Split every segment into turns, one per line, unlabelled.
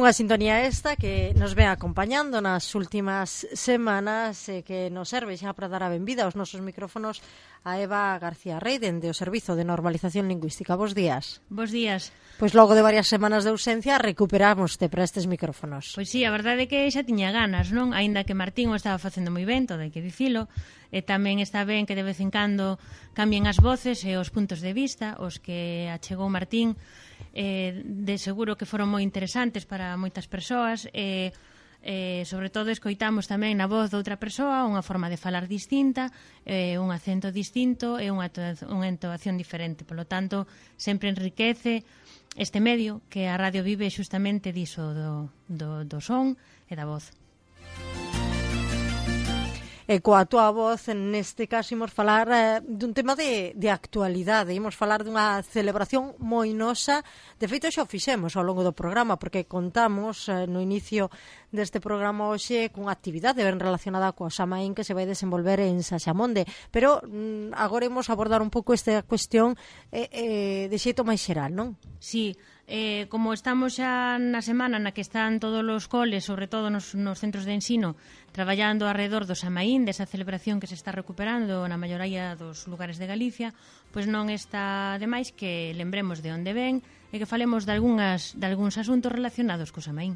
Unha sintonía esta que nos ven acompañando nas últimas semanas e que nos serve xa para dar a benvida aos nosos micrófonos a Eva García Rey, dende o Servizo de Normalización Lingüística. Bos días.
Bos días.
Pois logo de varias semanas de ausencia recuperámoste para estes micrófonos.
Pois sí, a verdade é que xa tiña ganas, non? Aínda que Martín o estaba facendo moi ben, todo hai que dicilo, e tamén está ben que de vez en cando cambien as voces e os puntos de vista, os que achegou Martín, de seguro que foron moi interesantes para moitas persoas, e sobre todo escoitamos tamén na voz de outra persoa unha forma de falar distinta, un acento distinto e unha entoación diferente. Polo tanto, sempre enriquece este medio que a radio vive xustamente diso do son e da voz.
E coa túa voz, neste caso, imos falar dun tema de actualidade. Imos falar dunha celebración moi nosa. De feito, xa o fixemos ao longo do programa, porque contamos no inicio deste programa hoxe cunha actividade ben relacionada coa Samaín que se vai desenvolver en Saxamonde. Pero agora imos abordar un pouco esta cuestión de xeito máis xeral, non?
Sí. Como estamos xa na semana na que están todos os coles, sobre todo nos centros de ensino, traballando alrededor do Samaín, desa celebración que se está recuperando na maioría dos lugares de Galicia, pois non está demais que lembremos de onde ven e que falemos de algúns asuntos relacionados co Samaín.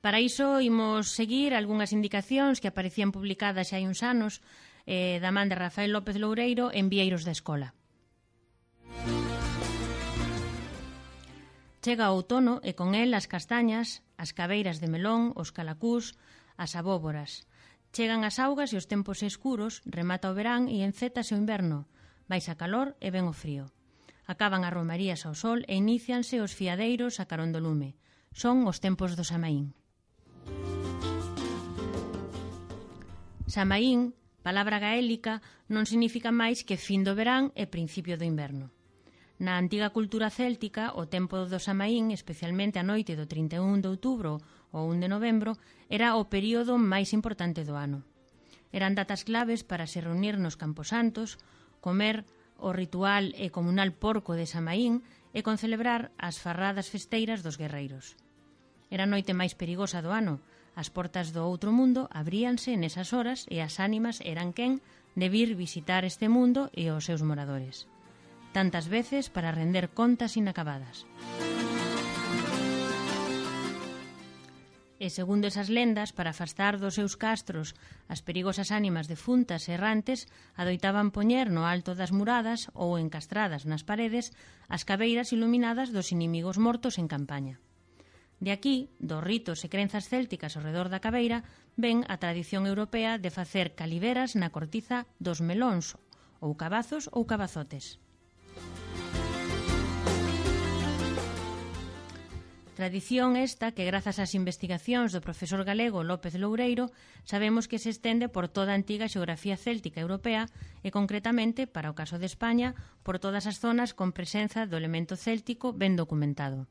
Para iso, imos seguir algunhas indicacións que aparecían publicadas xa hai uns anos da man de Rafael López Loureiro en Vieiros da Escola. Chega o outono e con el as castañas, as cabeiras de melón, os calacús, as abóboras. Chegan as augas e os tempos escuros, remata o verán e encétase o inverno. Baixa calor e ven o frío. Acaban as romarías ao sol e inicianse os fiadeiros a carón do lume. Son os tempos do Samaín. Samaín, palabra gaélica, non significa máis que fin do verán e principio do inverno. Na antiga cultura céltica, o tempo do Samaín, especialmente a noite do 31 de outubro ou 1 de novembro, era o período máis importante do ano. Eran datas claves para se reunir nos camposantos, comer o ritual e comunal porco de Samaín e concelebrar as farradas festeiras dos guerreiros. Era a noite máis perigosa do ano. As portas do outro mundo abríanse nesas horas e as ánimas eran quen de vir visitar este mundo e os seus moradores. Tantas veces para render contas inacabadas. E segundo esas lendas, para afastar dos seus castros as perigosas ánimas defuntas e errantes, adoitaban poñer no alto das muradas ou encastradas nas paredes as cabeiras iluminadas dos inimigos mortos en campaña. De aquí, dos ritos e crenzas célticas ao redor da cabeira, ven a tradición europea de facer caliveras na cortiza dos melóns, ou cabazos ou cabazotes. Tradición esta que, grazas ás investigacións do profesor galego López Loureiro, sabemos que se estende por toda a antiga xeografía céltica europea e, concretamente, para o caso de España, por todas as zonas con presenza do elemento céltico ben documentado.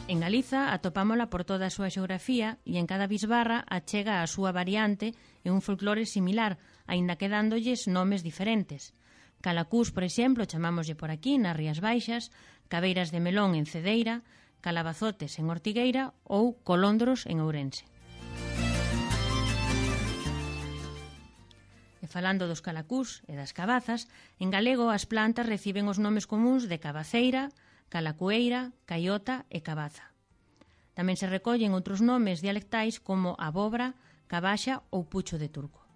En Galiza atopámola por toda a súa xeografía e en cada bisbarra achega a súa variante e un folclore similar, aínda que dándolles nomes diferentes. Calacús, por exemplo, chamámoslle por aquí, nas Rías Baixas, cabeiras de melón en Cedeira, calabazotes en Ortigueira ou colondros en Ourense. E falando dos calacús e das cabazas, en galego as plantas reciben os nomes comuns de cabaceira, calacueira, caiota e cabaza. Tamén se recollen outros nomes dialectais como abobra, cabaxa ou pucho de turco.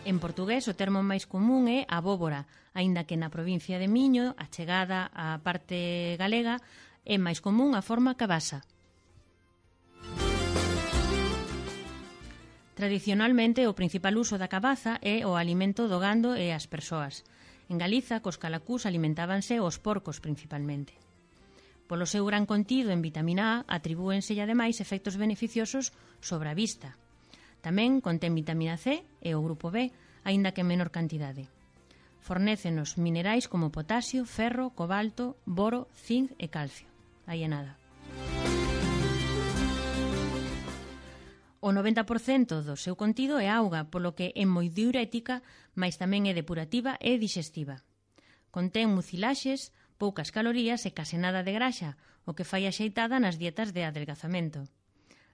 En portugués o termo máis común é abóbora, aínda que na provincia de Miño, achegada á parte galega, é máis común a forma cabasa. Tradicionalmente, o principal uso da cabaza é o alimento do gando e as persoas. En Galiza, cos calacús alimentábanse os porcos principalmente. Polo seu gran contido en vitamina A, atribúenselle ademais efectos beneficiosos sobre a vista. Tamén contén vitamina C e o grupo B, aínda que en menor cantidade. Fornécenos minerais como potasio, ferro, cobalto, boro, zinc e calcio. Aí é nada. O 90% do seu contido é auga, polo que é moi diurética, mas tamén é depurativa e digestiva. Contén mucilaxes, poucas calorías e case nada de graxa, o que fai axeitada nas dietas de adelgazamento.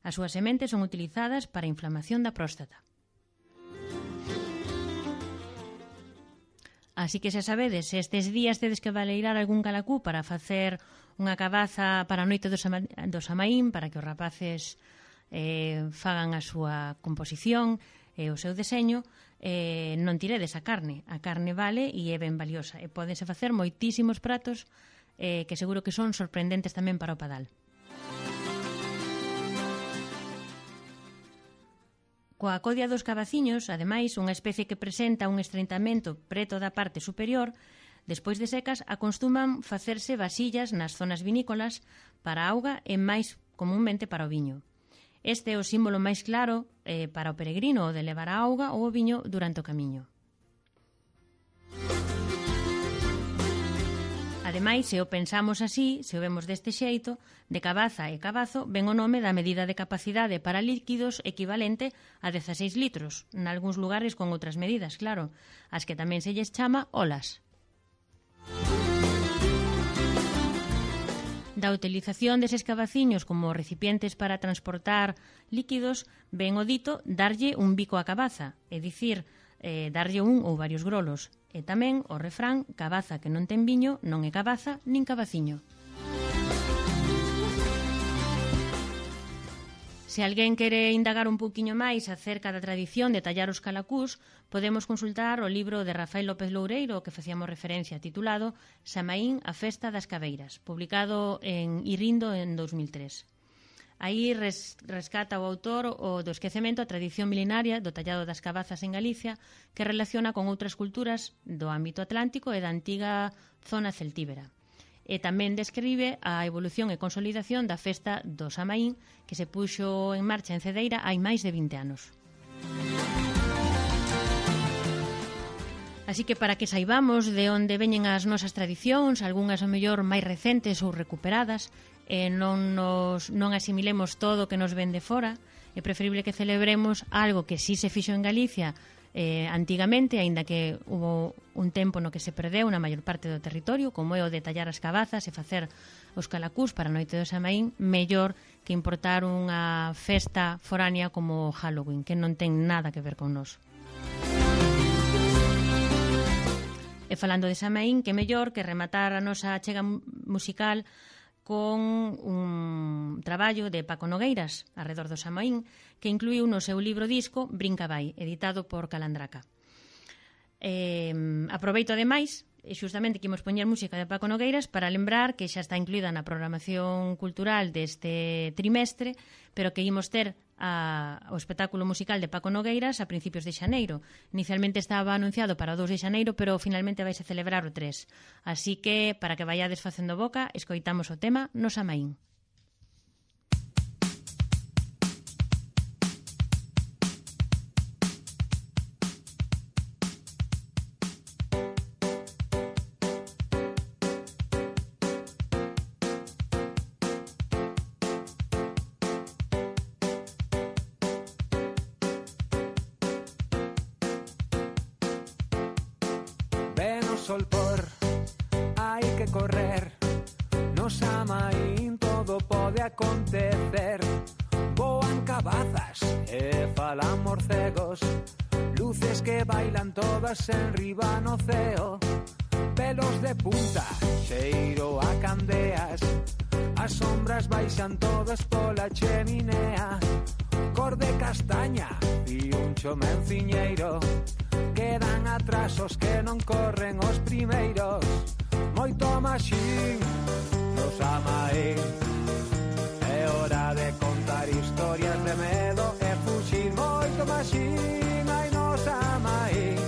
As súas sementes son utilizadas para a inflamación da próstata. Así que xa sabedes, se estes días tedes que valeirar algún calacú para facer unha cabaza para a noite do Samaín, para que os rapaces fagan a súa composición e o seu deseño, non tiredes a carne. A carne vale e é ben valiosa. E pódense facer moitísimos pratos que seguro que son sorprendentes tamén para o padal. Coa codia dos cabaciños, ademais, unha especie que presenta un estreitamento preto da parte superior, despois de secas, acostuman facerse vasillas nas zonas vinícolas para a auga e máis comúnmente para o viño. Este é o símbolo máis claro para o peregrino, o de levar a auga ou o viño durante o camiño. Ademais, se o pensamos así, se o vemos deste xeito, de cabaza e cabazo, ven o nome da medida de capacidade para líquidos equivalente a 16 litros, nalgúns lugares con outras medidas, claro, as que tamén se lles chama olas. Da utilización deses cabaciños como recipientes para transportar líquidos, ven o dito darlle un bico á cabaza, é dicir, darlle un ou varios grolos. E tamén o refrán, cabaza que non ten viño non é cabaza nin cabaciño. Se alguén quere indagar un pouquiño máis acerca da tradición de tallar os calacús, podemos consultar o libro de Rafael López Loureiro, que facíamos referencia, titulado Samaín, a festa das cabeiras, publicado en Irindo en 2003. Aí rescata o autor o do esquecemento a tradición milenaria do tallado das cabazas en Galicia, que relaciona con outras culturas do ámbito atlántico e da antiga zona celtíbera. E tamén describe a evolución e consolidación da festa do Samaín, que se puxo en marcha en Cedeira hai máis de 20 anos. Así que para que saibamos de onde veñen as nosas tradicións, algunhas ao mellor máis recentes ou recuperadas, e non asimilemos todo o que nos ven de fora, é preferible que celebremos algo que sí se fixo en Galicia antigamente, aínda que hubo un tempo no que se perdeu na maior parte do territorio, como é o de tallar as cabazas e facer os calacús para a noite do Samaín, mellor que importar unha festa foránea como Halloween, que non ten nada que ver con nós. E falando de Samaín, que mellor que rematar a nosa achega musical con un traballo de Paco Nogueiras arredor do Samaín, que incluíu no seu libro disco Brinca Vai, editado por Calandraca. Aproveito ademais, xustamente que imos poñer música de Paco Nogueiras para lembrar que xa está incluída na programación cultural deste trimestre, pero que imos ter o espectáculo musical de Paco Nogueiras a principios de xaneiro. Inicialmente estaba anunciado para o 2 de xaneiro, pero finalmente vaise celebrar o 3. Así que, para que vaiades facendo boca, escoitamos o tema No Samaín.
Sol por, hai que correr. No Samaín todo pode acontecer. Voan cabazas e falan morcegos, luces que bailan todas en riba no ceo, pelos de punta, cheiro a candeas, as sombras baixan todas pola cheminea, cor de castaña e un chomenciñeiro. Quedan atrás os que non corren os primeiros. Moito maxín no Samaín, é hora de contar historias de medo e fuxir. Moito maxín hai no Samaín,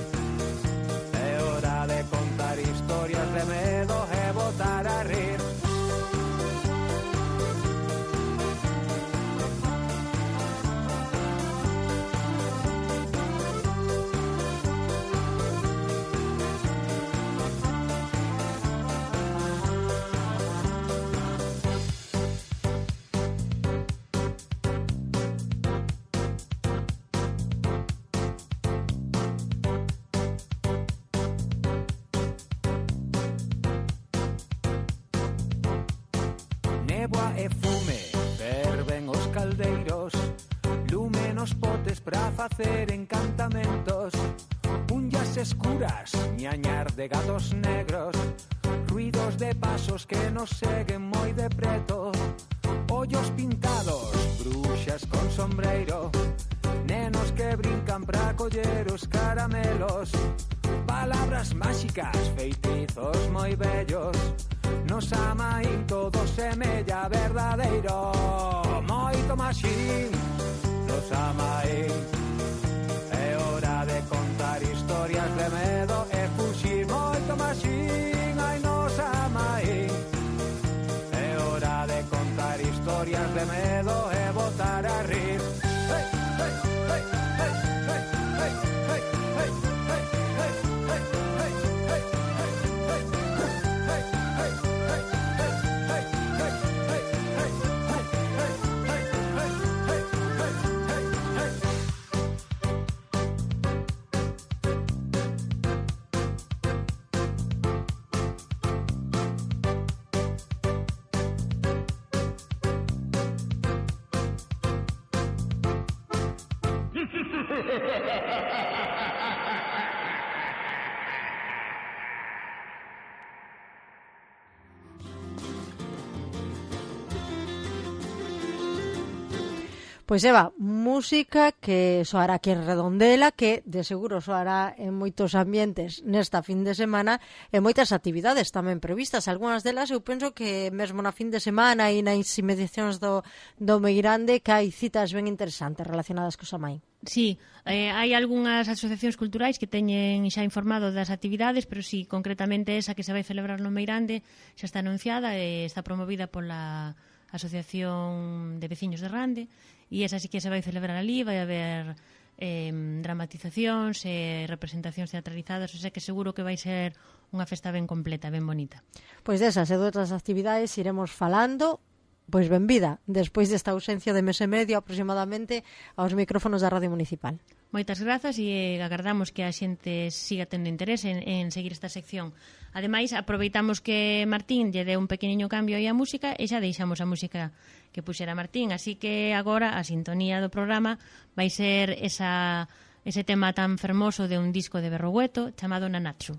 é hora de contar historias de medo e botar a rir. Néboa e fume, ferven os caldeiros, lume nos potes pra facer encantamentos, unllas escuras, ñañar de gatos negros, ruidos de pasos que nos seguen moi de preto, ollos pintados, bruxas con sombreiro, nenos que brincan pra coller os caramelos, palabras máxicas, feitizos moi bellos, nos amaín todo semella verdadeiro, moito maxín, nos amaín, é hora de contar historias de medo e fuxir, moito maxín, ai nos amaín, é hora de contar historias de medo e botar a rir.
Pois Eva, música que soará aquí en Redondela, que de seguro soará en moitos ambientes nesta fin de semana e moitas actividades tamén previstas. Algúnas delas eu penso que mesmo na fin de semana e nas inmediacións do Meirande que hai citas ben interesantes relacionadas co Samaín.
Sí, hai algunhas asociacións culturais que teñen xa informado das actividades, pero sí, concretamente esa que se vai celebrar no Meirande xa está anunciada e está promovida pola Asociación de Veciños de Rande, e esa sí que se vai celebrar ali, vai haber dramatizacións e representacións teatralizadas, o sea que seguro que vai ser unha festa ben completa, ben bonita.
Pois desas e de outras actividades iremos falando. Pois benvida, despois desta ausencia de mes e medio aproximadamente aos micrófonos da Radio Municipal.
Moitas grazas e agardamos que a xente siga tendo interés en seguir esta sección. Ademais, aproveitamos que Martín lle deu un pequeniño cambio aí á música e xa deixamos a música que puxera Martín, así que agora a sintonía do programa vai ser ese tema tan fermoso de un disco de Berrogueto chamado Nanatsu.